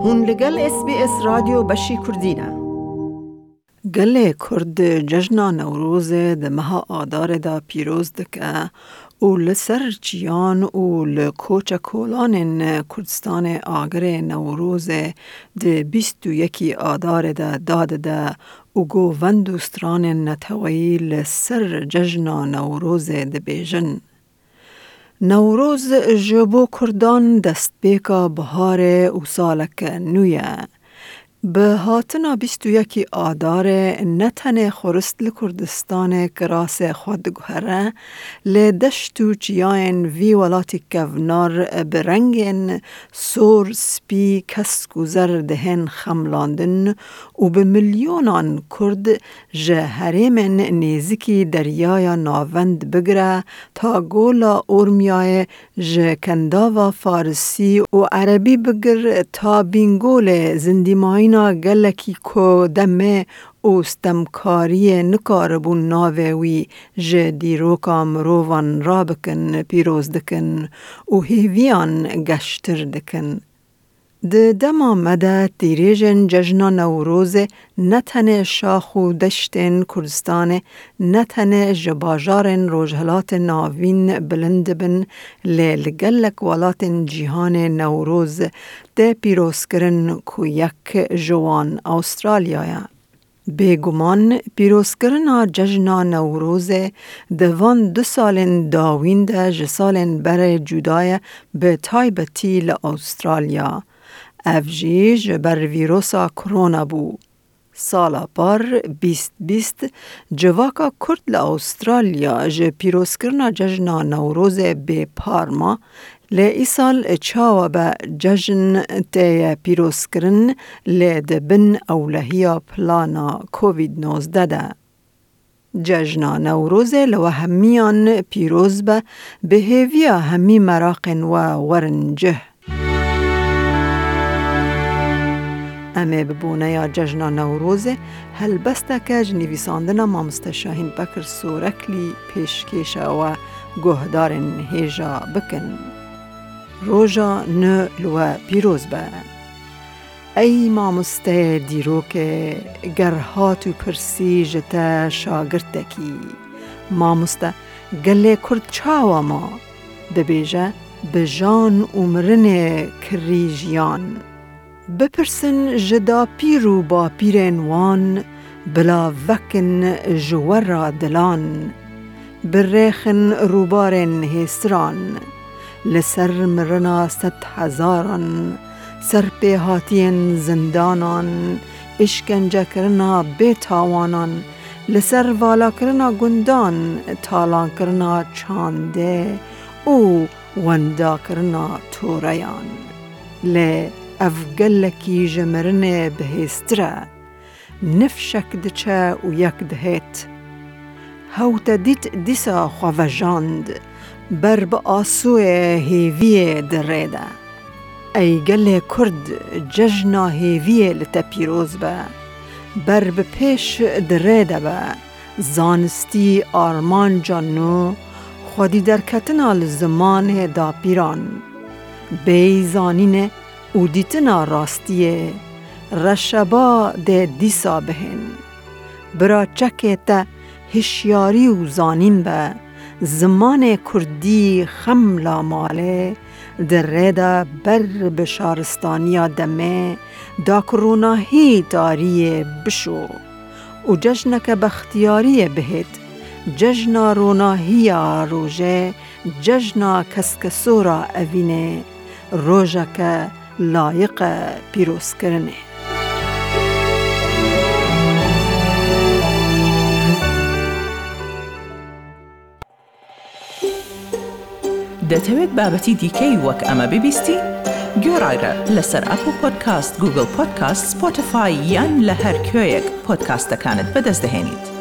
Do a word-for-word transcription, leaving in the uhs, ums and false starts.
Hûn li gel S B S Radyo beşî Kurdî ne. Gelê Kurd cejna Newrozê di meha Adarê de pîroz dike û li ser çiyan û li koçekolanên Kurdistanê agirê Newrozê di bîst û yekî Adarê de dadide û govend û stranên neteweyî li ser cejna Newrozê dibêjin. Newroz ji bo Kurdan destpêka biharê û saleke nû ye. Bi hatina bîst û yekî Adarê ne tenê xurist li Kurdistanê kirasê xwe diguhere, lê deşt û çiyayên vî welatî kevnar bi rengên sor, spî, kesk û zer dihên xemlandin û bi milyonan Kurd ji herêmên nêzikî Deryaya Navend bigire ta Gola Ormiyayê, ji Kendava Farisî û Erebî bigir ta Bîngolê, zindîmayîna gelekî ku demê û stemkariyê nikaribûn navê wî ji dîroka mirovan rabikin, pîroz dikin û hêviyan geştir dikin. Di dema me de tîrêjên cejna Newrozê ne tenê şax û deştên Kurdistanê, ne tenê ji bajarên Rojhilatê Navîn bilind dibin, lê li gelek welatên cîhanê Newroz tê pîrozkirin ku yek ji wan Awustralya ye. Bêguman pîrozkirina cejna Newrozê di van du salên dawîn de ji salên berê cuda ye, bi taybetî li Awustralya. Ev jî ji ber vîrosa korona bû. Sala par bîst bîst civaka Kurd li Awustralya ji pîrozkirina cejna Newrozê bêpar ma, lê îsal çawa be cejn tê ye pîrozkirin, lê di bin ewlehiya plana Covid nozdeh de. Cejna Newrozê li we hemiyan pîroz be, bi hêviya hemî meraqên we werin cih. Em ê bi boneya cejna Newrozê helbesteke ji nivîsandina mamoste Şahîn Bekir Soreklî pêşkêşa we guhdarên hêja bikin. Roja nû li we pîroz be. Ey mamosteyê dîrokê, ger hat û pirsî ji te şagirtekî, mamoste, gelê Kurd çawa ma? Dibêje, bi jan û mirinê kirî jiyan. Bipirsin ji dapîr û bapîrên wan, bila vekin ji we re dilan. Birêxin rûbarên hêsiran, li ser mirina sedhezaran, serpêhatiyên zindanan, îşkencekirina bêtawanan, li ser valakirina gundan, talankirina çandê û wendakirina toreyan. Lê ev gelekî ji mirinê bihêztir e. Nifşek diçe û yek dihêt. Hew te dît dîsa xwe vejand, ber bi asûyê hêviyê di rê de. Ey gelê Kurd, cejna hêviyê li te pîroz be. Ber bi pêş di rê de be. Zanistî armanca nû, xwedî derketina li zimanê dapîran. Bêyî zanînê û dîtina rastiyê, reşeba dê dîsa bihên. Bira çekê te hişyarî û zanîn be, zimanê kurdî xem la malê, di rê de ber bi şaristaniya demê, da ku ronahî tariyê bişo û cejneke bextiyariyê bihêt, cejna ronahiya rojê, cejna keskesora evînê, rojeke layiq e pîrozkirinê. دەتەوێت بابەتی دیکەی وەک ئەمە ببیستی؟ گوێڕایرە لەسەر ئەپڵ پۆدکاست، گوگڵ پۆدکاست، سپۆتیفای یان لە هەر کوێیەک پۆدکاستەکانت بەدەست دەهێنیت.